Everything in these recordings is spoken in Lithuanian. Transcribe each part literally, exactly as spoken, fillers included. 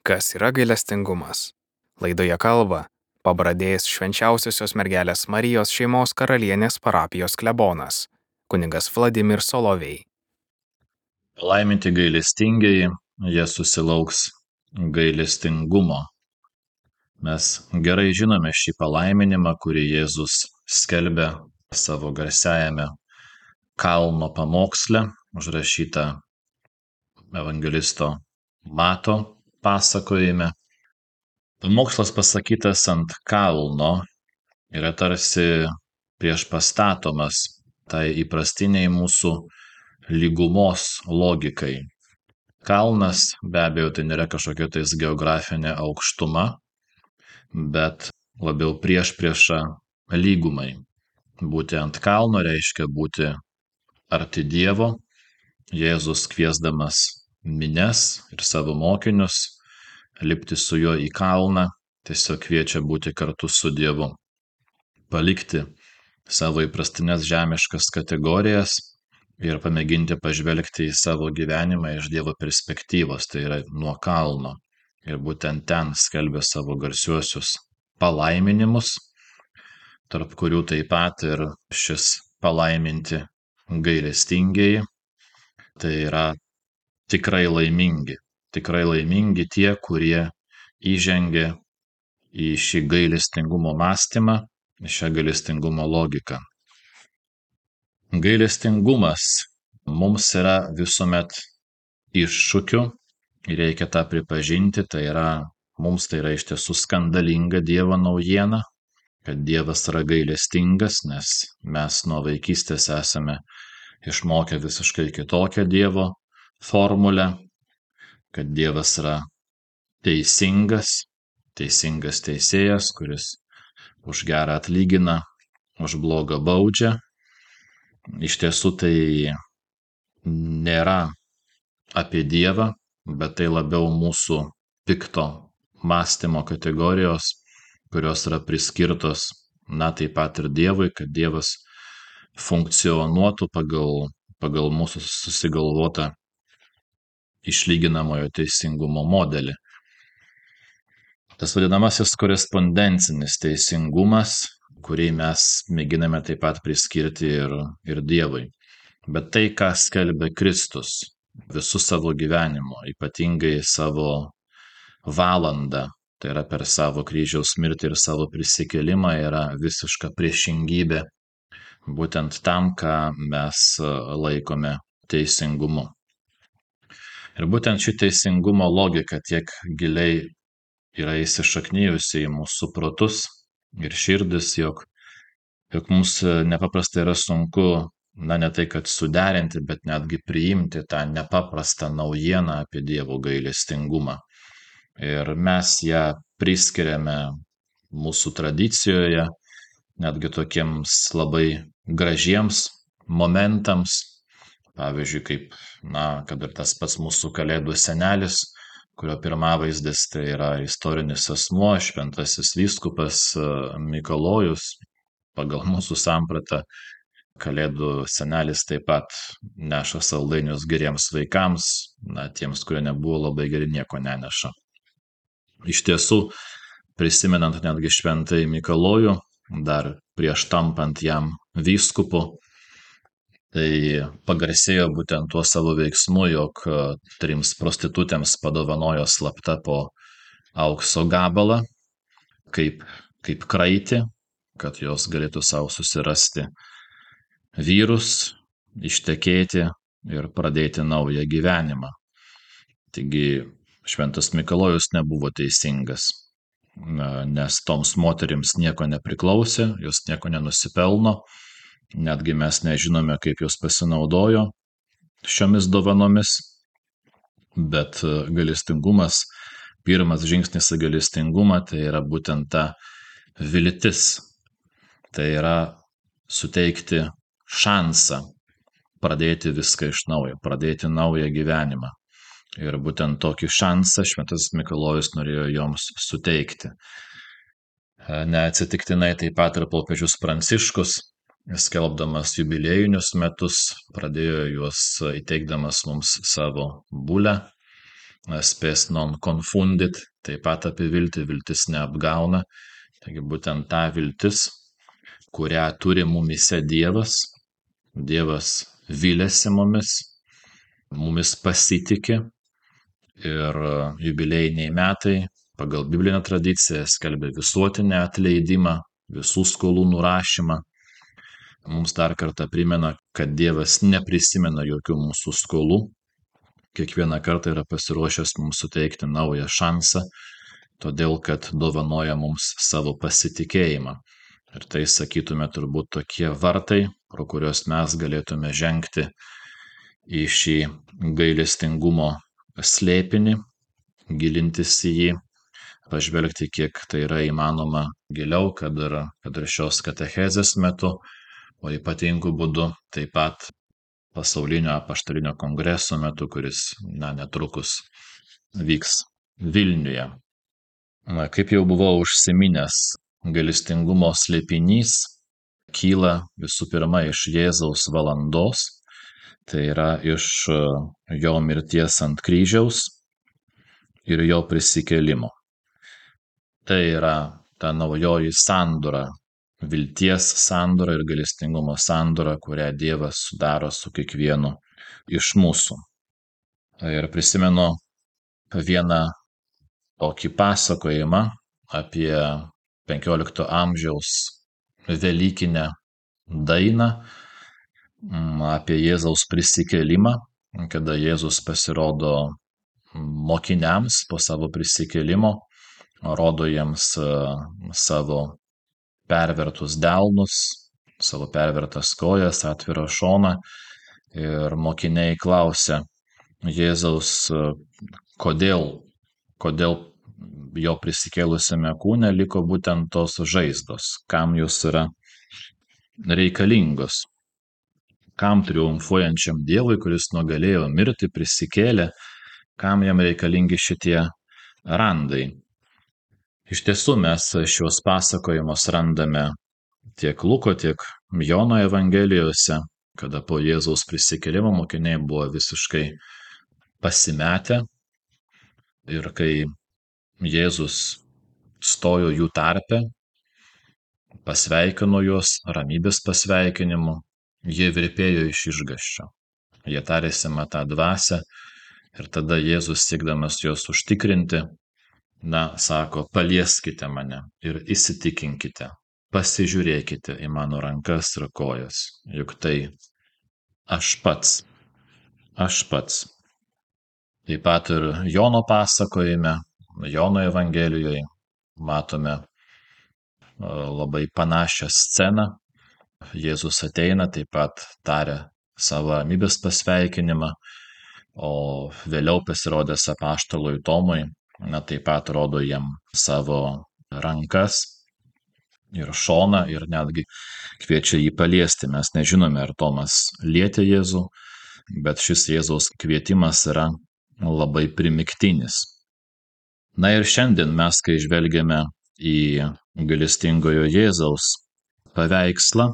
Kas yra gailestingumas? Laidoje kalba pabradėjęs Švenčiausiosios mergelės Marijos šeimos karalienės parapijos klebonas, kunigas Vladimir Solovej. Palaiminti gailestingieji, jie susilauks gailestingumo. Mes gerai žinome šį palaiminimą, kurį Jėzus skelbia savo garsiajame kalno pamoksle, užrašyta evangelisto Mato pasakojime. Pamokslas pasakytas ant kalno yra tarsi priešpastatomas tai įprastiniai mūsų lygumos logikai. Kalnas be abejo tai nėra kažkokia tais geografinė aukštuma, bet labiau priešprieša lygumai. Būti ant kalno reiškia būti arti Dievo. Jėzus kviesdamas minias ir savo mokinius lipti su juo į kalną tiesiog kviečia būti kartu su Dievu. Palikti savo įprastinės žemiškas kategorijas ir pamėginti pažvelgti į savo gyvenimą iš Dievo perspektyvos, tai yra nuo kalno. Ir būtent ten skelbia savo garsiuosius palaiminimus, tarp kurių taip pat ir šis palaiminti gailestingieji. Tai yra tikrai laimingi, tikrai laimingi tie, kurie įžengia į šį gailestingumo mąstymą, į šią gailestingumo logiką. Gailestingumas mums yra visuomet iššūkiu ir reikia tą pripažinti, tai yra, mums tai yra iš tiesų skandalinga Dievo naujiena, kad Dievas yra gailestingas, nes mes nuo vaikystės esame išmokę visiškai kitokią Dievo formulę, kad Dievas yra teisingas, teisingas teisėjas, kuris už gerą atlygina, už blogą baudžia. Iš tiesų tai nėra apie Dievą, bet tai labiau mūsų pikto mąstymo kategorijos, kurios yra priskirtos, na taip pat ir Dievui, kad Dievas funkcionuotų pagal, pagal mūsų susigalvotą išlyginamojo teisingumo modelį. Tas vadinamasis korespondencinis teisingumas, kurį mes mėginame taip pat priskirti ir, ir Dievui. Bet tai, ką skelbia Kristus visų savo gyvenimo, ypatingai savo valandą, tai yra per savo kryžiaus mirtį ir savo prisikėlimą, yra visiška priešingybė būtent tam, ką mes laikome teisingumu. Ir būtent ši teisingumo logika tiek giliai yra įsišaknijusi į mūsų protus ir širdis, jog, jog mums nepaprastai yra sunku, na ne tai kad suderinti, bet netgi priimti tą nepaprastą naujieną apie Dievo gailestingumą. Ir mes ją priskiriame mūsų tradicijoje, netgi tokiems labai gražiems momentams, pavyzdžiui, kaip, na, kad ir tas pats mūsų Kalėdų senelis, kurio pirmavaizdis tai yra istorinis asmuo, šventasis vyskupas Mikalojus. Pagal mūsų sampratą Kalėdų senelis taip pat neša saldainius geriems vaikams, na, tiems, kurie nebuvo labai geri, nieko neneša. Iš tiesų, prisimenant netgi šventąjį Mikalojų, dar prieš tampant jam vyskupu, tai pagarsėjo būtent tuo savo veiksmu, jog trims prostitutėms padovanojo slapta po aukso gabalą, kaip, kaip kraitį, kad jos galėtų savo susirasti vyrus, ištekėti ir pradėti naują gyvenimą. Taigi šventas Mikalojus nebuvo teisingas, nes toms moterims nieko nepriklausė, jos nieko nenusipelno, netgi mes nežinome, kaip jos pasinaudojo šiomis dovanomis, bet gailestingumas, pirmas žingsnis į gailestingumą, tai yra būtent ta viltis, tai yra suteikti šansą pradėti viską iš naujo, pradėti naują gyvenimą. Ir būtent tokį šansą šventas Mikalojus norėjo joms suteikti. Neatsitiktinai taip pat ir popiežius Pranciškus, skelbdamas jubiliejinius metus, pradėjo juos įteikdamas mums savo bulę, spes non confundit, taip pat apie viltį, viltis neapgauna. Taigi būtent ta viltis, kurią turi mumise Dievas, Dievas vylėsi mumis, mumis pasitikė ir jubiliejiniai metai pagal biblinę tradiciją skelbia visuotinę atleidimą, visų skolų nurašymą. Mums dar kartą primena, kad Dievas neprisimena jokių mūsų skolų, kiekvieną kartą yra pasiruošęs mums suteikti naują šansą, todėl kad dovanoja mums savo pasitikėjimą. Ir tai, sakytume, turbūt tokie vartai, pro kuriuos mes galėtume žengti į šį gailestingumo slėpinį, gilintis į jį, pažvelgti, kiek tai yra įmanoma giliau, kad ir, kad ir šios katechezės metu, o ypatingų būdų taip pat pasaulinio apaštalinio kongreso metu, kuris na, netrukus vyks Vilniuje. Na, kaip jau buvau užsiminęs, gailestingumo slėpinys kyla visų pirma iš Jėzaus valandos, tai yra iš jo mirties ant kryžiaus ir jo prisikėlimo. Tai yra ta naujoji sandora, vilties sandora ir gailestingumo sandora, kurią Dievas sudaro su kiekvienu iš mūsų. Ir prisimenu vieną tokį pasakojimą apie penkiolikto amžiaus velykinę dainą, apie Jėzaus prisikėlimą, kada Jėzus pasirodo mokiniams po savo prisikėlimo, rodo jiems savo pervertus delnus, savo pervertas kojas, atvirą šoną ir mokiniai klausia Jėzaus, kodėl, kodėl jo prisikėlusiame kūne liko būtent tos žaizdos, kam jos yra reikalingos, kam triumfuojančiam Dievui, kuris nugalėjo mirti, prisikėlė, kam jam reikalingi šitie randai. Iš tiesų mes šios pasakojimus randame tiek Luko, tiek Jono evangelijose, kada po Jėzaus prisikėlimo mokiniai buvo visiškai pasimetę ir kai Jėzus stojo jų tarpe, pasveikino juos ramybės pasveikinimu, jie virpėjo iš išgąsčio. Jie tarėsi matą dvasią ir tada Jėzus, siekdamas juos užtikrinti, na, sako, palieskite mane ir įsitikinkite, pasižiūrėkite į mano rankas ir kojas, juk tai aš pats, aš pats. Taip pat ir Jono pasakojime, Jono evangelijoje matome labai panašią sceną. Jėzus ateina, taip pat taria savo ramybės pasveikinimą, o vėliau pasirodęs apaštalui Tomui, na, taip pat rodo jam savo rankas ir šoną ir netgi kviečia jį paliesti. Mes nežinome, ar Tomas lietė Jėzų, bet šis Jėzaus kvietimas yra labai primygtinis. Na ir šiandien mes, kai žvelgiame į gailestingojo Jėzaus paveikslą,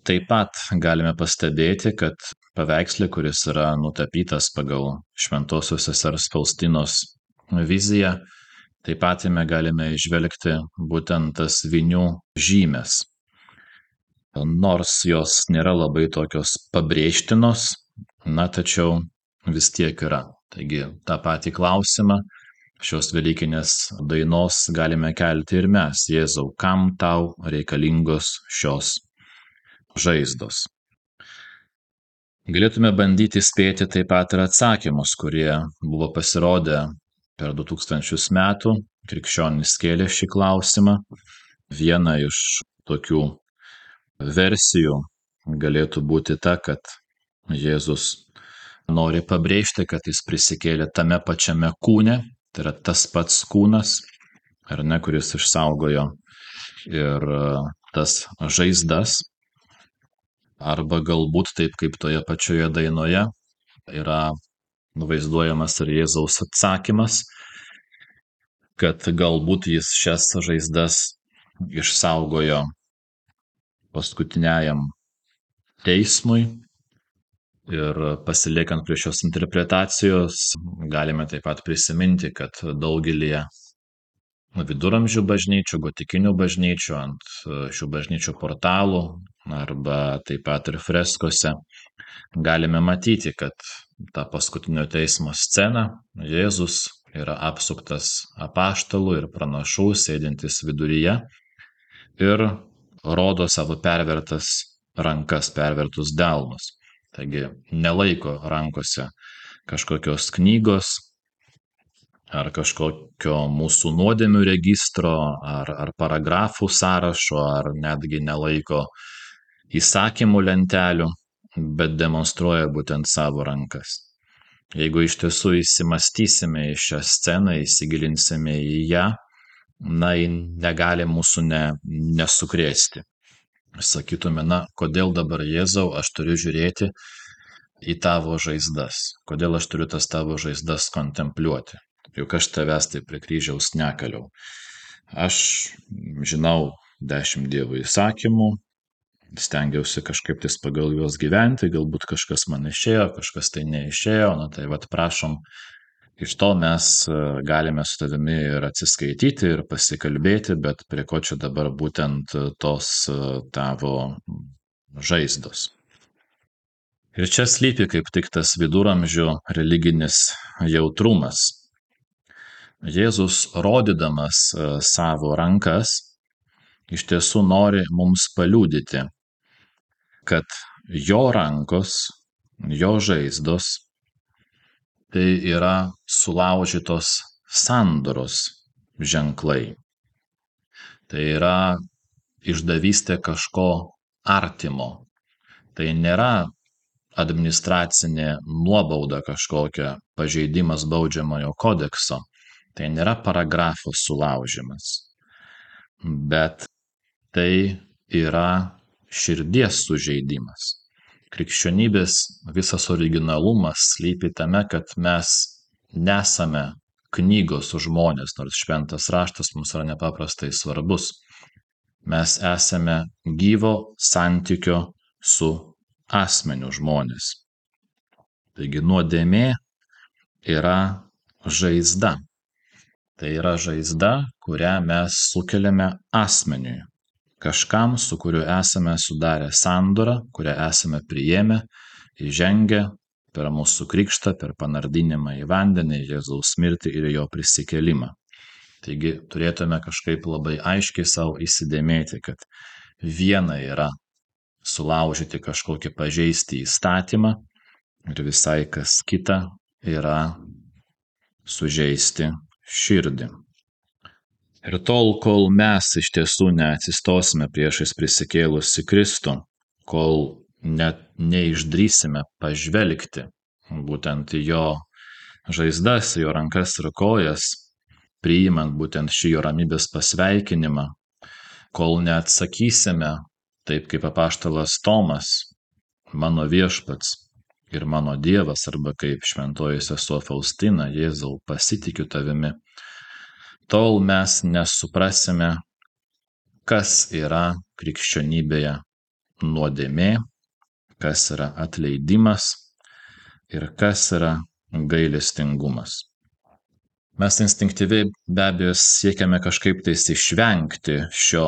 taip pat galime pastebėti, kad paveiksle, kuris yra nutapytas pagal šventosios sesers Faustinos viziją, taip pat jame galime įžvelgti būtent tas vinių žymes. Nors jos nėra labai tokios pabrėžtinos, na, tačiau vis tiek yra. Taigi tą patį klausimą šios velykinės dainos galime kelti ir mes. Jėzau, kam tau reikalingos šios žaizdos? Galėtume bandyti spėti taip pat ir atsakymus, kurie buvo pasirodę per du tūkstančius metų. Krikščionys kėlė šį klausimą. Viena iš tokių versijų galėtų būti ta, kad Jėzus nori pabrėžti, kad jis prisikėlė tame pačiame kūne, tai yra tas pats kūnas, ar ne, kuris išsaugojo ir tas žaizdas. Arba galbūt taip, kaip toje pačioje dainoje yra vaizduojamas ir Jėzaus atsakymas, kad galbūt jis šias žaizdas išsaugojo paskutiniajam teismui Ir pasiliekant prie šios interpretacijos, galime taip pat prisiminti, kad daugelį viduramžių bažnyčių, gotikinių bažnyčių, ant šių bažnyčių portalų arba taip pat ir freskose galime matyti, kad tą paskutinio teismo sceną Jėzus yra apsuptas apaštalų ir pranašų, sėdintis viduryje ir rodo savo pervertas rankas, pervertus delnus. Taigi nelaiko rankose kažkokios knygos ar kažkokio mūsų nuodėmių registro ar, ar paragrafų sąrašo, ar netgi nelaiko įsakymų lentelių, bet demonstruoja būtent savo rankas. Jeigu iš tiesų įsimastysime į šią sceną, įsigilinsime į ją, na, ji negali mūsų ne, nesukrėsti. Sakytume, na, kodėl dabar Jėzau aš turiu žiūrėti į tavo žaizdas, kodėl aš turiu tas tavo žaizdas kontempliuoti, juk aš tavęs tai prie kryžiaus nekaliau. Aš žinau dešimt Dievo įsakymų, stengiausi kažkaip tais pagal juos gyventi, galbūt kažkas man išėjo, kažkas tai neišėjo, na tai vat prašom, iš to mes galime su tavimi ir atsiskaityti, ir pasikalbėti, bet prie ko čia dabar būtent tos tavo žaizdos. Ir čia slypi kaip tik tas viduramžių religinis jautrumas. Jėzus, rodydamas savo rankas, iš tiesų nori mums paliudyti, kad jo rankos, jo žaizdos, tai yra sulaužytos sandoros ženklai. Tai yra išdavystė kažko artimo. Tai nėra administracinė nuobauda kažkokia, pažeidimas baudžiamojo kodekso. Tai nėra paragrafo sulaužimas. Bet tai yra širdies sužeidimas. Krikščionybės visas originalumas slypi tame, kad mes nesame knygos žmonės, nors šventas raštas mums yra nepaprastai svarbus. Mes esame gyvo santykio su asmeniu žmonės. Taigi nuodėmė yra žaizda. Tai yra žaizda, kurią mes sukeliame asmeniui. Kažkam, su kuriuo esame sudarę sandorą, kurią esame priėmę, įžengę per mūsų krikštą, per panardinimą į vandenį, Jėzaus mirtį ir jo prisikėlimą. Taigi turėtume kažkaip labai aiškiai savo įsidėmėti, kad viena yra sulaužyti kažkokį pažeisti įstatymą ir visai kas kita yra sužeisti širdį. Ir tol, kol mes iš tiesų neatsistosime priešais prisikėlusi Kristų, kol net neišdrįsime pažvelgti būtent į jo žaizdas, jo rankas ir kojas, priimant būtent šį jo ramybės pasveikinimą, kol neatsakysime taip kaip apaštalas Tomas, mano viešpats ir mano Dievas, arba kaip šventoji sesuo Faustina, Jėzau, pasitikiu tavimi, tol mes nesuprasime, kas yra krikščionybėje nuodėmė, kas yra atleidimas ir kas yra gailestingumas. Mes instinktyviai be abejo siekiame kažkaip tais išvengti šio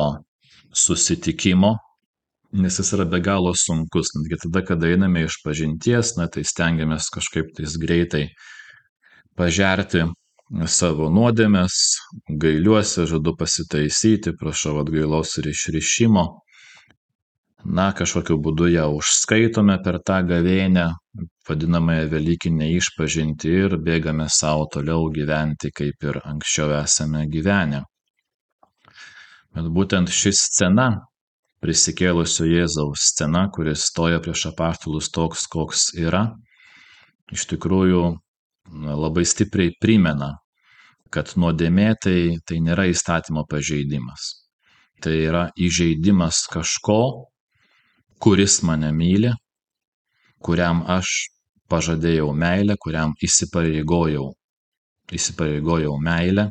susitikimo, nes jis yra be galo sunkus. Netgi tada, kada einame iš pažinties, na, tai stengiamės kažkaip tais greitai pažerti savo nuodėmes, gailiuosi, žadu pasitaisyti, prašau atgailos ir išrišimo. Na, kažkokiu būdu ją užskaitome per tą gavėnią, vadinamąją Velykinę išpažintį ir bėgame savo toliau gyventi, kaip ir anksčiau esame gyvenę. Bet būtent ši scena, prisikėlusio Jėzaus scena, kuris stoja prieš apaštalus toks, koks yra, iš tikrųjų labai stipriai primena, kad nuodėmė tai, tai nėra įstatymo pažeidimas. Tai yra įžeidimas kažko, kuris mane myli, kuriam aš pažadėjau meilę, kuriam įsipareigojau, įsipareigojau meilę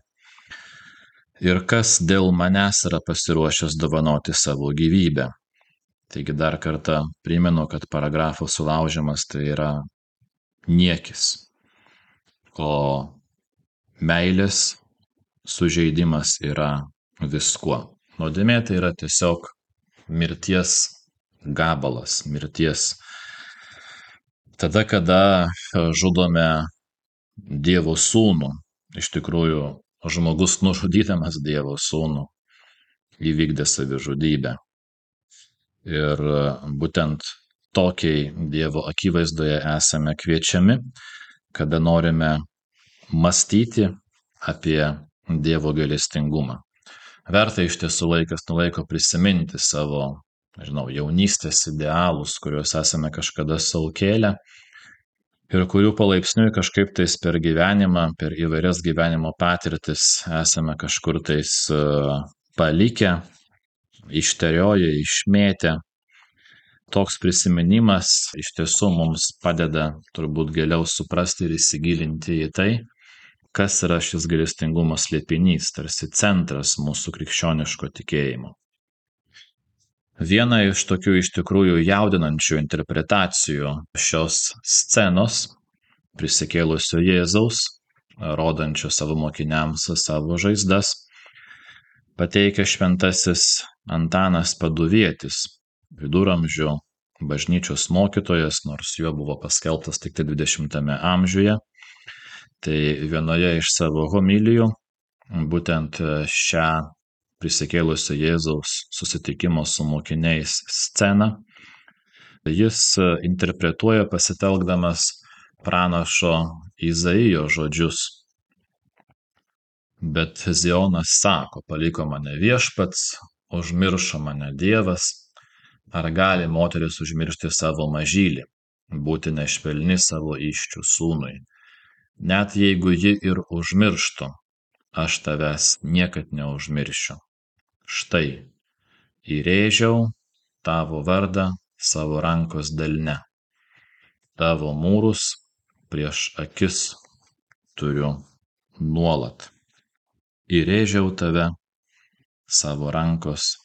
ir kas dėl manęs yra pasiruošęs dovanoti savo gyvybę. Taigi dar kartą primenu, kad paragrafo sulaužimas tai yra niekis, o meilės sužeidimas yra viskuo. Nuodėmė tai yra tiesiog mirties gabalas, mirties. Tada, kada žudome Dievo sūnų, iš tikrųjų žmogus nužudydamas Dievo sūnų įvykdė savižudybę. Ir būtent tokiai Dievo akivaizdoje esame kviečiami, kada norime mąstyti apie Dievo gailestingumą. Verta iš tiesų laikas nuo laiko prisiminti savo, nežinau, jaunystės idealus, kuriuos esame kažkada sau kėlę ir kurių palaipsniui kažkaip tais per gyvenimą, per įvairias gyvenimo patirtis esame kažkur tais palikę, išterioję, išmėtę. Toks prisiminimas iš tiesų mums padeda turbūt giliau suprasti ir įsigilinti į tai, kas yra šis gailestingumo slėpinys, tarsi centras mūsų krikščioniško tikėjimo. Viena iš tokių iš tikrųjų jaudinančių interpretacijų šios scenos prisikėlusio Jėzaus, rodančio savo mokiniams savo žaizdas, pateikia šventasis Antanas Paduvietis, viduramžių bažnyčios mokytojas, nors juo buvo paskelbtas tik tai dvidešimtame amžiuje. Tai vienoje iš savo homilijų, būtent šią prisikėlusio Jėzaus susitikimo su mokiniais sceną, jis interpretuoja pasitelkdamas pranašo Izaijo žodžius. Bet Zionas sako, paliko mane viešpats, užmiršo mane Dievas. Ar gali moteris užmiršti savo mažylį, būti nešvelni savo įsčių sūnui? Net jeigu ji ir užmirštų, aš tavęs niekad neužmiršiu. Štai, įrėžiau tavo vardą savo rankos delne. Tavo mūrus prieš akis turiu nuolat. Įrėžiau tave savo rankos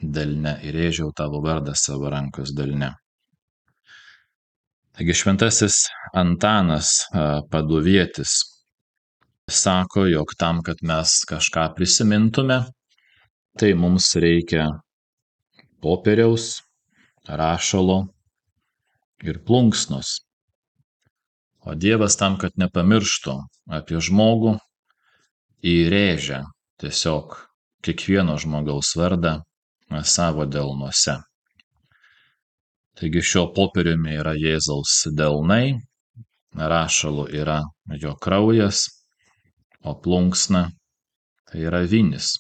delne, įrėžiau tavo vardą savo rankos delne. Taigi šventasis Antanas Paduvietis sako, jog tam, kad mes kažką prisimintume, tai mums reikia popieriaus, rašalo ir plunksnos. O Dievas tam, kad nepamirštų apie žmogų, įrėžia tiesiog kiekvieno žmogaus vardą savo delnuose. Taigi šio popieriumi yra Jėzaus delnai, rašalu yra jo kraujas, o plunksna tai yra vinis.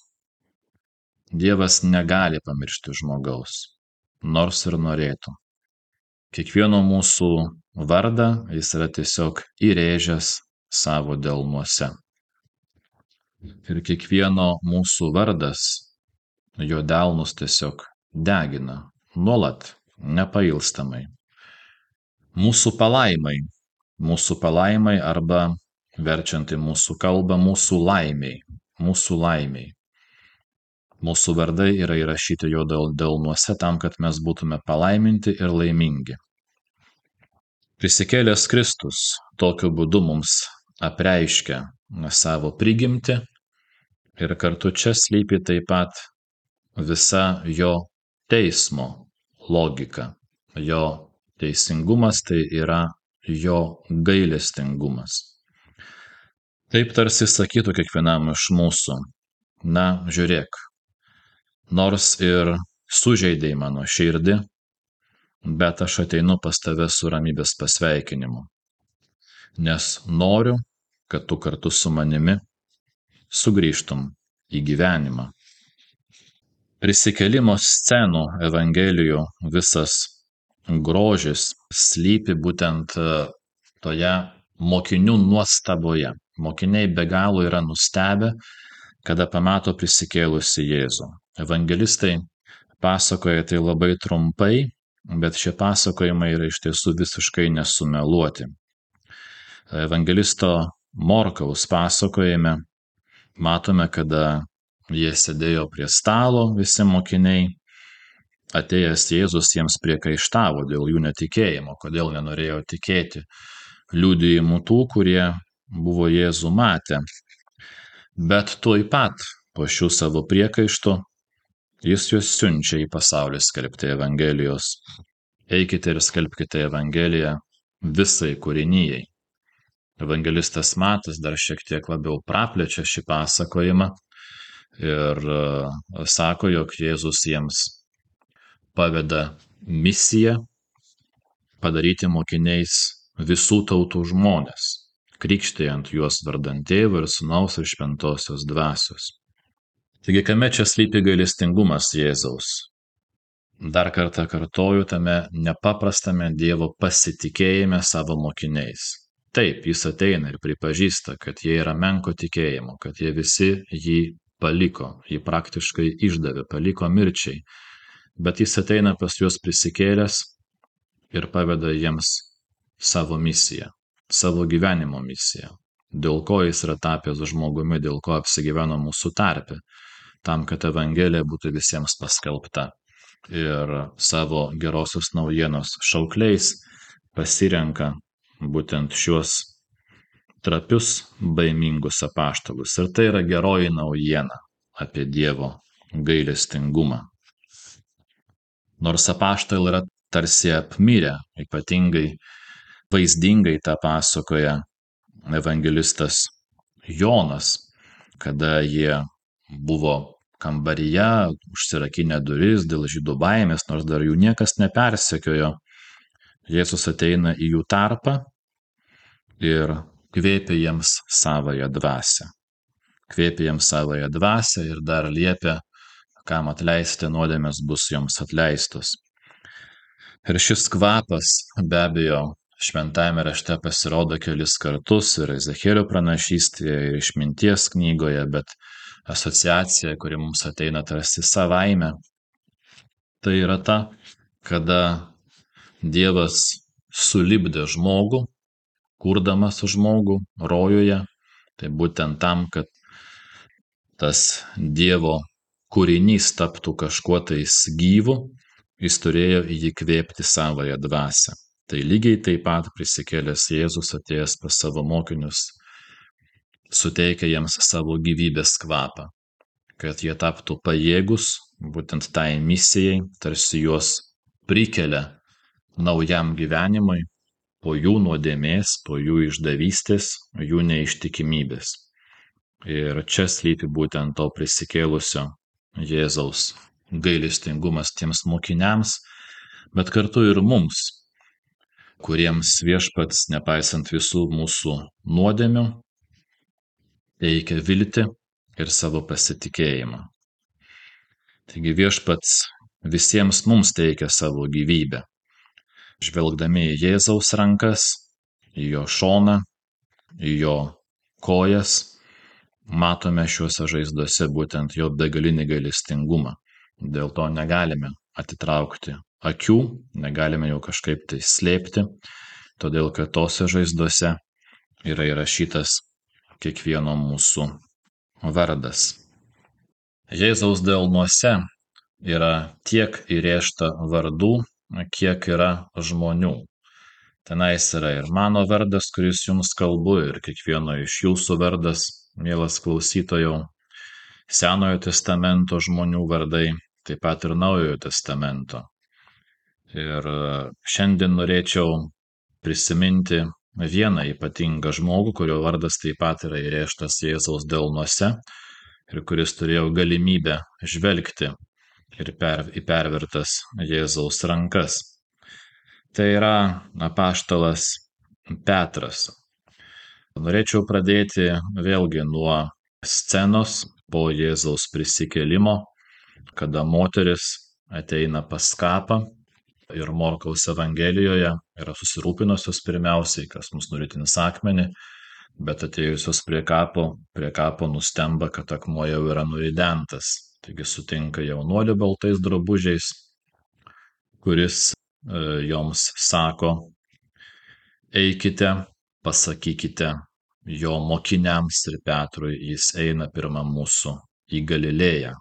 Dievas negali pamiršti žmogaus, nors ir norėtų. Kiekvieno mūsų vardą jis yra tiesiog įrėžęs savo delnuose. Ir kiekvieno mūsų vardas jo delnus tiesiog degina, nuolat, nepailstamai. Mūsų palaimai, mūsų palaimai arba, verčiant į mūsų kalbą, mūsų laimiai, mūsų laimiai. Mūsų vardai yra įrašyti jo delnuose tam, kad mes būtume palaiminti ir laimingi. Prisikėlęs Kristus tokiu būdu mums apreiškia savo prigimtį ir kartu čia slypi taip pat visa jo teismo logika. Jo teisingumas tai yra jo gailestingumas. Taip tarsi sakytų kiekvienam iš mūsų, na, žiūrėk, nors ir sužeidei mano širdį, bet aš ateinu pas tave su ramybės pasveikinimu, nes noriu, kad tu kartu su manimi sugrįžtum į gyvenimą. Prisikėlimo scenų Evangelijų visas grožis slypi būtent toje mokinių nuostaboje. Mokiniai be galo yra nustebę, kada pamato prisikėlusį Jėzų. Evangelistai pasakoja tai labai trumpai, bet šie pasakojimai yra iš tiesų visiškai nesumeluoti. Evangelisto Morkaus pasakojime matome, kada jie sėdėjo prie stalo, visi mokiniai, atėjęs Jėzus jiems priekaištavo dėl jų netikėjimo, kodėl nenorėjo tikėti liudijimų tų, kurie buvo Jėzų matę. Bet tuoj pat po šių savo priekaištų jis juos siunčia į pasaulį skelbti Evangelijos. Eikite ir skelbkite Evangeliją visai kūrinijai. Evangelistas Matas dar šiek tiek labiau praplečia šį pasakojimą ir sako, jog Jėzus jiems paveda misiją padaryti mokiniais visų tautų žmones, krikštijant juos vardant Tėvo ir Sūnaus ir Šventosios Dvasios. Taigi, kame čia slypi gailestingumas Jėzaus? Dar kartą kartoju, tame nepaprastame Dievo pasitikėjime savo mokiniais. Taip, jis ateina ir pripažįsta, kad jie yra menko tikėjimo, kad jie visi jį paliko, jį praktiškai išdavė, paliko mirčiai. Bet jis ateina pas juos prisikėlęs ir paveda jiems savo misiją, savo gyvenimo misiją, dėl ko jis yra tapęs žmogumi, dėl ko apsigyveno mūsų tarpe, tam, kad Evangelija būtų visiems paskelbta. Ir savo gerosios naujienos šaukliais pasirenka būtent šiuos trapius, baimingus apaštalus. Ir tai yra geroji naujiena apie Dievo gailestingumą. Nors apaštalai yra tarsi apmirę, ypatingai vaizdingai tą pasakoja evangelistas Jonas, kada jie buvo kambaryje, užsirakinę duris dėl žydų baimės, nors dar jų niekas nepersekiojo. Jėzus ateina į jų tarpą ir kvėpia jiems savąją dvasią. Kvėpia jiems savąją dvasią ir dar liepia, kam atleisti nuodėmės bus joms atleistos. Ir šis kvapas be abejo šventajame rašte pasirodo kelis kartus ir Ezechielio pranašystėje ir išminties knygoje, bet asociacija, kuri mums ateina tarsi savaime, tai yra ta, kada Dievas sulipdė žmogų, kurdamas žmogų rojuje, tai būtent tam, kad tas Dievo kūrinys taptų kažkuo tais gyvu, jis turėjo į jį kvėpti savąją dvasią. Tai lygiai taip pat prisikėlęs Jėzus atėjęs pas savo mokinius suteikia jiems savo gyvybės kvapą, kad jie taptų pajėgus būtent tai misijai, tarsi juos prikelia naujam gyvenimui po jų nuodėmės, po jų išdavystės, jų neištikimybės. Ir čia slypi būtent to prisikėlusio Jėzaus gailestingumas tiems mokiniams, bet kartu ir mums, kuriems viešpats, nepaisant visų mūsų nuodėmių, teikia viltį ir savo pasitikėjimą. Taigi viešpats visiems mums teikia savo gyvybę. Žvelgdami į Jėzaus rankas, į jo šoną, į jo kojas, matome šiuose žaizdose būtent jo begalinį gailestingumą. Dėl to negalime atitraukti akių, negalime jau kažkaip tai slėpti, todėl kad tose žaizdose yra įrašytas kiekvieno mūsų vardas. Jėzaus delnuose yra tiek įrėžta vardų, kiek yra žmonių. Tenais yra ir mano vardas, kuris jums kalbu, ir kiekvieno iš jūsų vardas, mielas klausytojau, Senojo testamento žmonių vardai, taip pat ir Naujojo testamento. Ir šiandien norėčiau prisiminti vieną ypatingą žmogų, kurio vardas taip pat yra įrėžtas Jėzaus delnuose ir kuris turėjo galimybę žvelgti ir per, į pervertas Jėzaus rankas. Tai yra apaštalas Petras. Norėčiau pradėti vėlgi nuo scenos po Jėzaus prisikėlimo, kada moteris ateina pas kapą ir Morkaus Evangelijoje yra susirūpinusios pirmiausiai, kas mus nuritins akmenį, bet atėjusios prie kapo, prie kapo nustemba, kad akmuo jau yra nuridentas. Taigi sutinka jaunuolį baltais drabužiais, kuris e, joms sako, eikite, pasakykite jo mokiniams ir Petrui, jis eina pirma mūsų į Galilėją,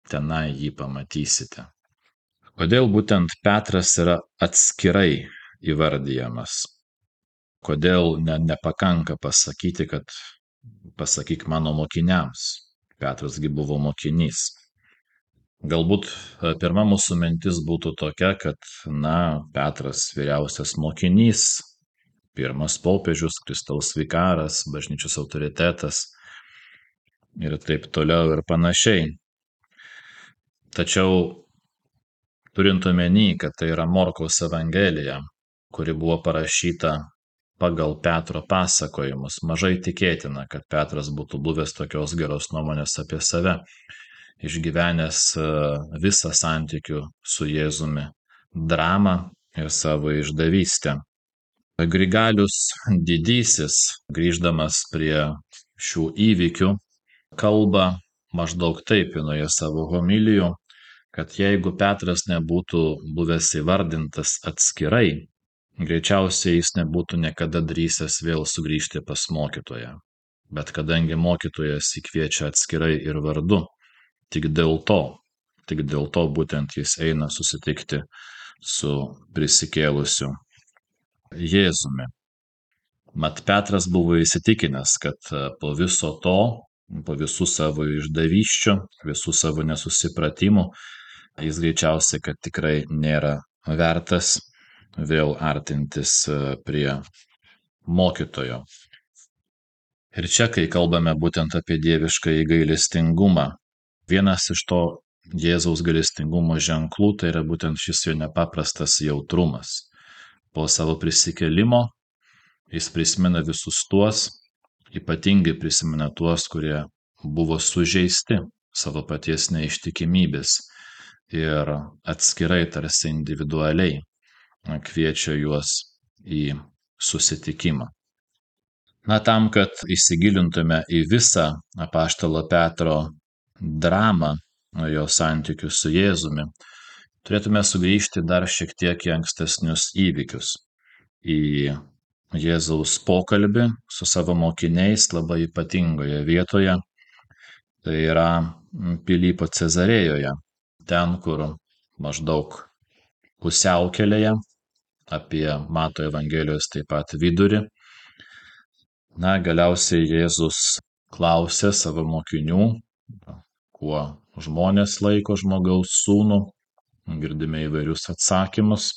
tenai jį pamatysite. Kodėl būtent Petras yra atskirai įvardijamas? Kodėl ne, nepakanka pasakyti, kad pasakyk mano mokiniams? Petrasgi buvo mokinys. Galbūt pirma mūsų mintis būtų tokia, kad, na, Petras vyriausias mokinys, pirmas popiežius, Kristaus vikaras, bažnyčios autoritetas ir taip toliau ir panašiai. Tačiau turint omeny, kad tai yra Morkaus Evangelija, kuri buvo parašyta pagal Petro pasakojimus, mažai tikėtina, kad Petras būtų buvęs tokios geros nuomonės apie save, išgyvenęs visą santykių su Jėzumi dramą ir savo išdavystę. Grigalius didysis, grįždamas prie šių įvykių, kalba maždaug taip vienoje savo homilijų, kad jeigu Petras nebūtų buvęs įvardintas atskirai, greičiausiai jis nebūtų niekada drįsęs vėl sugrįžti pas mokytoją. Bet kadangi mokytojas jį kviečia atskirai ir vardu, tik dėl to, tik dėl to būtent jis eina susitikti su prisikėlusiu Jėzumi. Mat Petras buvo įsitikinęs, kad po viso to, po visų savo išdavysčių, visų savo nesusipratimų, jis greičiausiai, kad tikrai nėra vertas vėl artintis prie mokytojo. Ir čia, kai kalbame būtent apie dieviškąjį gailestingumą, vienas iš to Jėzaus gailestingumo ženklų tai yra būtent šis jo nepaprastas jautrumas. Po savo prisikėlimo jis prisimena visus tuos, ypatingai prisimena tuos, kurie buvo sužeisti savo paties neištikimybės ir atskirai tarsi individualiai kviečia juos į susitikimą. Na, tam, kad įsigilintume į visą apaštalo Petro dramą, jo santykių su Jėzumi, turėtume sugrįžti dar šiek tiek į ankstesnius įvykius, į Jėzaus pokalbį su savo mokiniais labai ypatingoje vietoje, tai yra Pilypo Cezarėjoje, ten, kur maždaug pusiaukelėje, apie Mato Evangelijos taip pat vidurį. Na, galiausiai Jėzus klausė savo mokinių, kuo žmonės laiko žmogaus sūnų, girdime įvairius atsakymus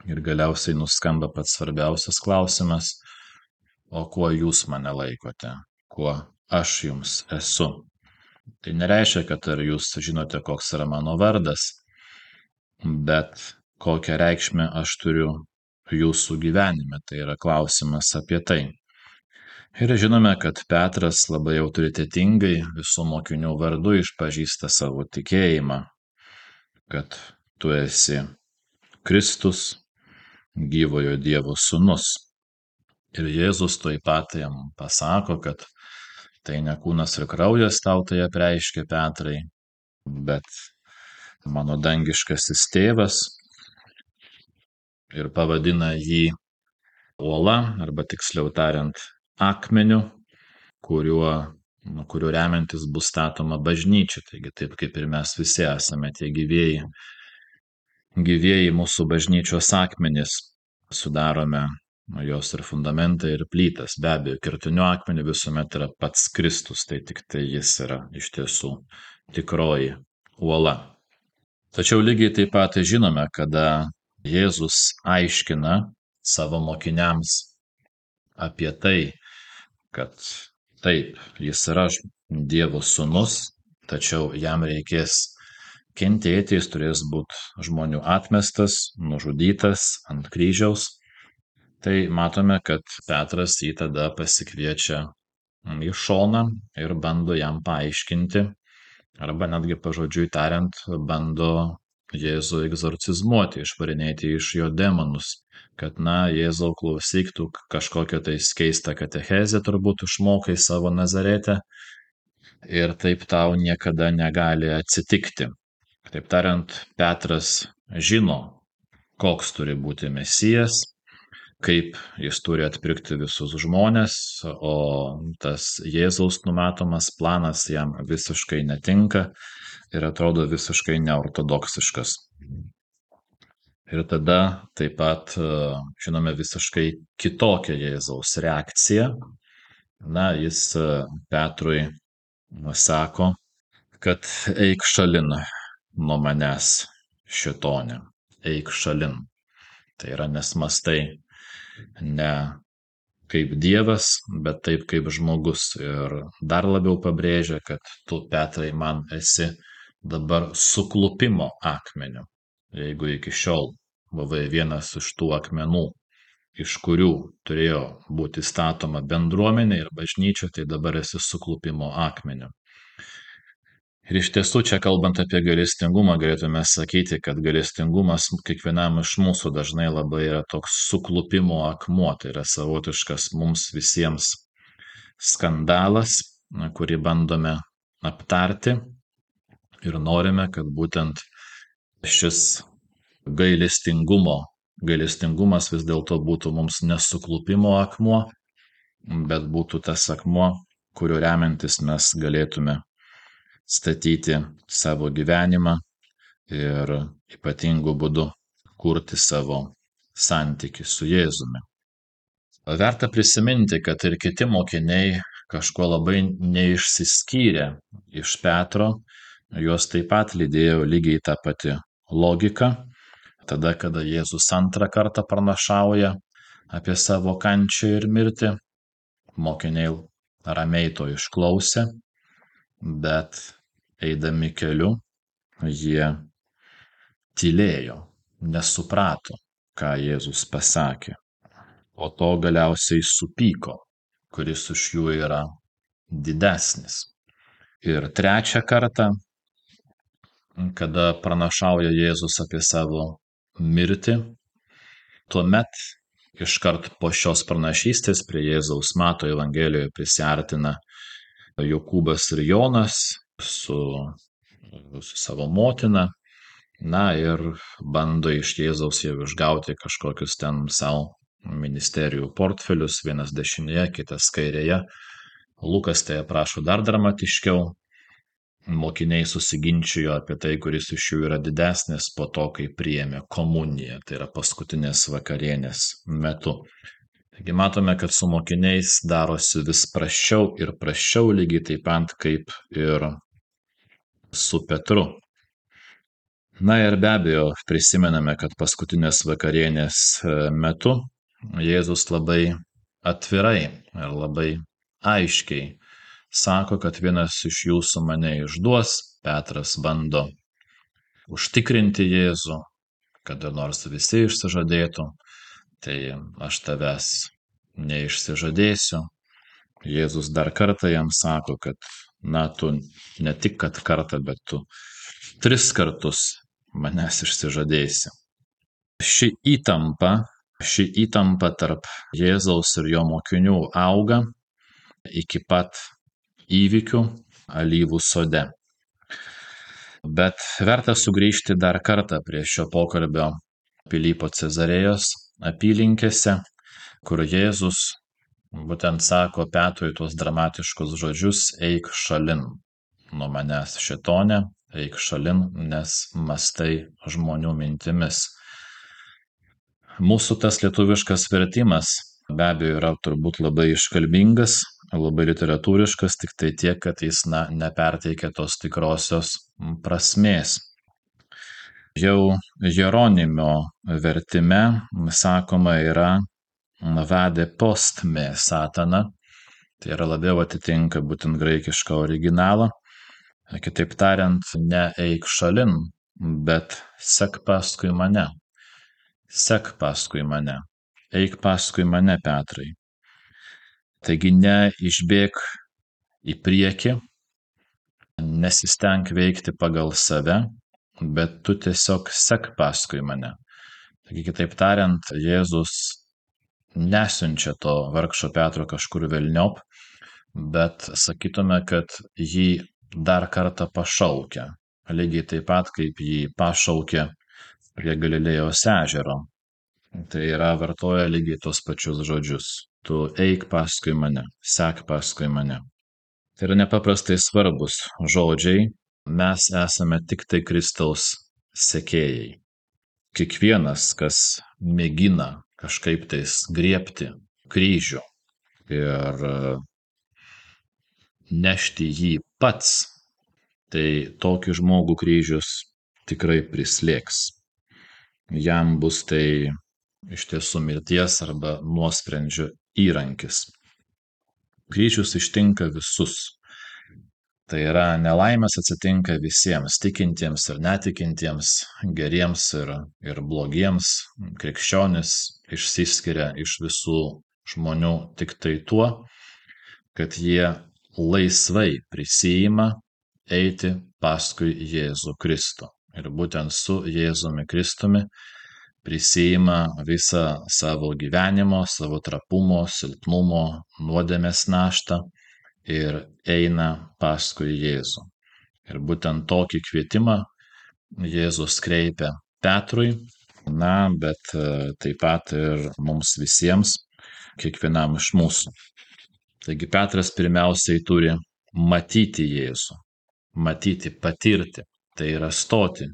ir galiausiai nuskamba pats svarbiausias klausimas, o kuo jūs mane laikote, kuo aš jums esu. Tai nereiškia, kad ar jūs žinote, koks yra mano vardas, bet kokią reikšmę aš turiu jūsų gyvenime, tai yra klausimas apie tai. Ir žinome, kad Petras labai autoritetingai visų mokinių vardu išpažįsta savo tikėjimą, kad tu esi Kristus, gyvojo Dievo sūnus. Ir Jėzus tuoj pat jam pasako, kad tai ne kūnas ir kraujas tau tai apreiškė, Petrai, bet mano dangiškasis tėvas, ir pavadina jį uola, arba tiksliau tariant, akmeniu, kuriuo, nu, kuriuo remiantis bus statoma bažnyčia. Taigi taip kaip ir mes visi esame tie gyvieji, gyvieji mūsų bažnyčios akmenys, sudarome jos ir fundamentą, ir plytas. Be abejo, kertiniu akmeniu visuomet yra pats Kristus, tai tik tai jis yra iš tiesų tikroji uola. Tačiau lygiai taip pat žinome, kada Jėzus aiškina savo mokiniams apie tai, kad taip, jis yra Dievo sūnus, tačiau jam reikės kentėti, jis turės būti žmonių atmestas, nužudytas ant kryžiaus. Tai matome, kad Petras jį tada pasikviečia į šoną ir bando jam paaiškinti, arba netgi pažodžiui tariant, bando Jėzų egzorcizmuoti, išvarinėti iš jo demonus, kad, na, Jėzau, klausyk, tu kažkokią tai keistą katechezę turbūt išmokai savo Nazarete ir taip tau niekada negali atsitikti. Taip tariant, Petras žino, koks turi būti Mesijas, kaip jis turi atpirkti visus žmones, o tas Jėzaus numatomas planas jam visiškai netinka ir atrodo visiškai neortodoksiškas. Ir tada taip pat žinome visiškai kitokią Jėzaus reakciją. Na, jis Petrui sako, kad eik šalin nuo manęs, šėtone, eik šalin. Tai yra, nes mąstai ne kaip Dievas, bet taip kaip žmogus. Ir dar labiau pabrėžia, kad tu, Petrai, man esi dabar suklupimo akmeniu. Jeigu iki šiol buvai vienas iš tų akmenų, iš kurių turėjo būti statoma bendruomenė ir bažnyčia, tai dabar esi suklupimo akmeniu. Ir iš tiesų, čia kalbant apie gailestingumą, galėtume sakyti, kad gailestingumas kiekvienam iš mūsų dažnai labai yra toks suklupimo akmuo, tai yra savotiškas mums visiems skandalas, kurį bandome aptarti ir norime, kad būtent šis gailestingumo, gailestingumas vis dėlto būtų mums nesuklupimo akmuo, bet būtų tas akmuo, kuriuo remiantis mes galėtume statyti savo gyvenimą ir ypatingu būdu kurti savo santykį su Jėzumi. Verta prisiminti, kad ir kiti mokiniai kažkuo labai neišsiskyrė iš Petro, juos taip pat lydėjo lygiai ta pati logika. Tada, kada Jėzus antrą kartą pranašauja apie savo kančią ir mirtį, mokiniai ramiai to išklausė, bet eidami keliu jie tylėjo, nesuprato, ką Jėzus pasakė. Po to galiausiai supyko, kuris iš jų yra didesnis. Ir trečią kartą, kada pranašauja Jėzus apie savo mirtį, tuomet iškart po šios pranašystės prie Jėzaus Mato Evangelijoje prisiartina Jokūbas ir Jonas su, su savo motina, na ir bando iš Jėzaus jau išgauti kažkokius ten savo ministerijų portfelius, vienas dešinėje, kitas kairėje. Lukas tai aprašo dar dramatiškiau. Mokiniai susiginčijo apie tai, kuris iš jų yra didesnis po to, kai priėmė komuniją, tai yra paskutinės vakarienės metu. Taigi matome, kad su mokiniais darosi vis prasčiau ir prasčiau, lygiai taip pat kaip ir su Petru. Na ir be abejo, prisimename, kad paskutinės vakarienės metu Jėzus labai atvirai ir labai aiškiai sako, kad vienas iš jūsų mane išduos. Petras bando užtikrinti Jėzų, kada nors visi išsižadėtų. Tai aš tavęs neišsižadėsiu. Jėzus dar kartą jam sako, kad na, tu ne tik kad kartą, bet tu tris kartus manęs išsižadėsi. Ši įtampa, ši įtampa tarp Jėzaus ir jo mokinių auga iki pat įvykių Alyvų sode. Bet verta sugrįžti dar kartą prie šio pokalbio Pilypo Cezarėjos apylinkėse, kur Jėzus būtent sako Petrui tuos dramatiškus žodžius: eik šalin nuo manęs, šėtone, eik šalin, nes mąstai žmonių mintimis. Mūsų tas lietuviškas vertimas be abejo yra turbūt labai iškalbingas, labai literatūriškas, tik tai tiek, kad jis na, neperteikia tos tikrosios prasmės. Jau Jeronimo vertime sakoma yra vade post me satana, tai yra labiau atitinka būtent graikišką originalą. Kitaip tariant, ne eik šalin, bet sek paskui mane. Sek paskui mane. Eik paskui mane, Petrai. Taigi ne išbėk į priekį, nesisteng veikti pagal save, bet tu tiesiog sek paskui mane. Taigi, kitaip tariant, Jėzus nesiunčia to vargšo Petro kažkur velniop, bet sakytume, kad jį dar kartą pašaukia, lygiai taip pat, kaip jį pašaukė prie Galilėjos ežero. Tai yra vartoja lygiai tos pačius žodžius. Tu eik paskui mane, sek paskui mane. Tai yra nepaprastai svarbus žodžiai. Mes esame tik tai Kristaus sekėjai. kiekvienas, kas mėgina kažkaip tais griebti kryžių ir nešti jį pats, tai tokį žmogų kryžius tikrai prislėgs. Jam bus tai iš tiesų mirties arba nuosprendžio įrankis. Kryžius ištinka visus. Tai yra, nelaimės atsitinka visiems, tikintiems ir netikintiems, geriems ir, ir blogiems. Krikščionis išsiskiria iš visų žmonių tik tai tuo, kad jie laisvai prisiima eiti paskui Jėzų Kristų. Ir būtent su Jėzumi Kristumi prisiima visą savo gyvenimo, savo trapumo, silpnumo, nuodėmės naštą ir eina paskui Jėzų. Ir būtent tokį kvietimą Jėzus kreipia Petrui, na, bet taip pat ir mums visiems, kiekvienam iš mūsų. Taigi Petras pirmiausiai turi matyti Jėzų, matyti, patirti, tai yra stoti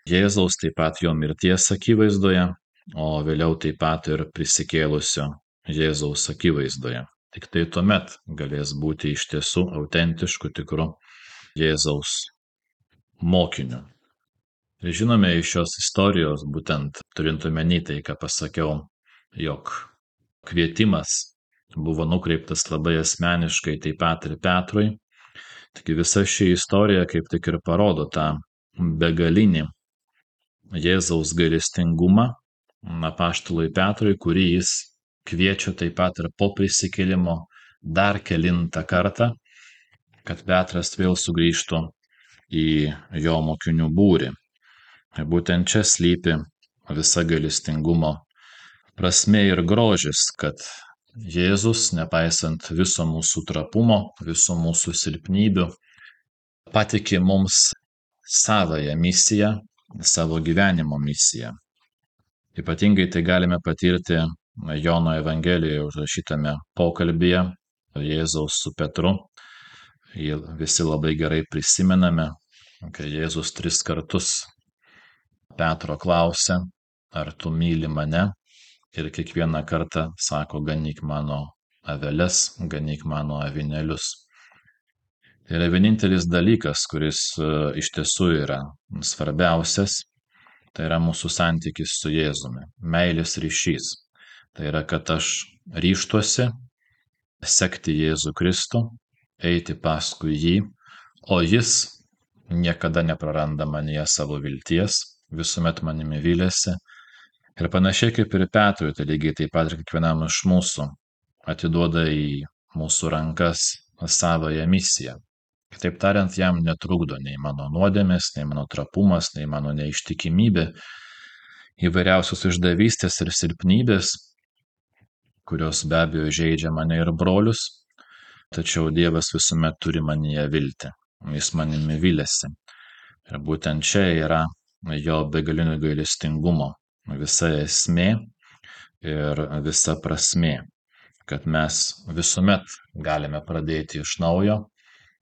Jėzaus, taip pat jo mirties akivaizdoje, o vėliau taip pat ir prisikėlusio Jėzaus akivaizdoje. Tik tai tuomet galės būti iš tiesų autentišku, tikru Jėzaus mokiniu. Ir žinome iš šios istorijos, būtent turint omeny tai, ką pasakiau, jog kvietimas buvo nukreiptas labai asmeniškai taip pat ir Petrui. Taigi visa ši istorija kaip tik ir parodo tą begalinį Jėzaus gailestingumą apaštalui Petrui, kurį jis kviečia taip pat ir po prisikėlimo dar kelintą kartą, kad Petras vėl sugrįžtų į jo mokinių būrį. Ir būtent čia slypi visa gailestingumo prasmė ir grožis, kad Jėzus, nepaisant viso mūsų trapumo, viso mūsų silpnybių, patikė mums savąją misiją, savo gyvenimo misiją. Ypatingai tai galime patirti Jono Evangelijoje užrašytame pokalbyje Jėzaus su Petru. Jį visi labai gerai prisimename, kai Jėzus tris kartus Petro klausia, ar tu myli mane? Ir kiekvieną kartą sako, ganyk mano aveles, ganyk mano avinėlius. Tai yra vienintelis dalykas, kuris iš tiesų yra svarbiausias, tai yra mūsų santykis su Jėzumi, meilės ryšys. Tai yra, kad aš ryžtuosi sekti Jėzų Kristų, eiti paskui jį, o jis niekada nepraranda manyje savo vilties, visuomet manimi vylėsi. Ir panašiai kaip ir Petrui, tai lygiai taip pat ir kiekvienam iš mūsų atiduoda į mūsų rankas savąją misiją. Kitaip tariant, jam netrukdo nei mano nuodėmės, nei mano trapumas, nei mano neištikimybė, įvairiausios išdavystės ir silpnybės, kurios be abejo žeidžia mane ir brolius, tačiau Dievas visuomet turi manyje viltį, jis manimi vylėsi. Ir būtent čia yra jo begalinio gailestingumo visa esmė ir visa prasmė, kad mes visuomet galime pradėti iš naujo.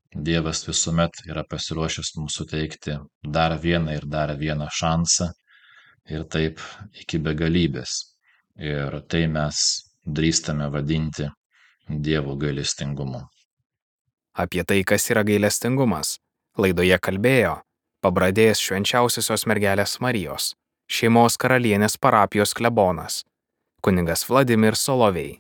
Dievas visuomet yra pasiruošęs mums suteikti dar vieną ir dar vieną šansą ir taip iki begalybės. Ir tai mes drįstame vadinti Dievo gailestingumu. Apie tai, kas yra gailestingumas, laidoje kalbėjo Pabradės Švenčiausiosios mergelės Marijos Šeimos karalienės parapijos klebonas kunigas Vladimir Solovej.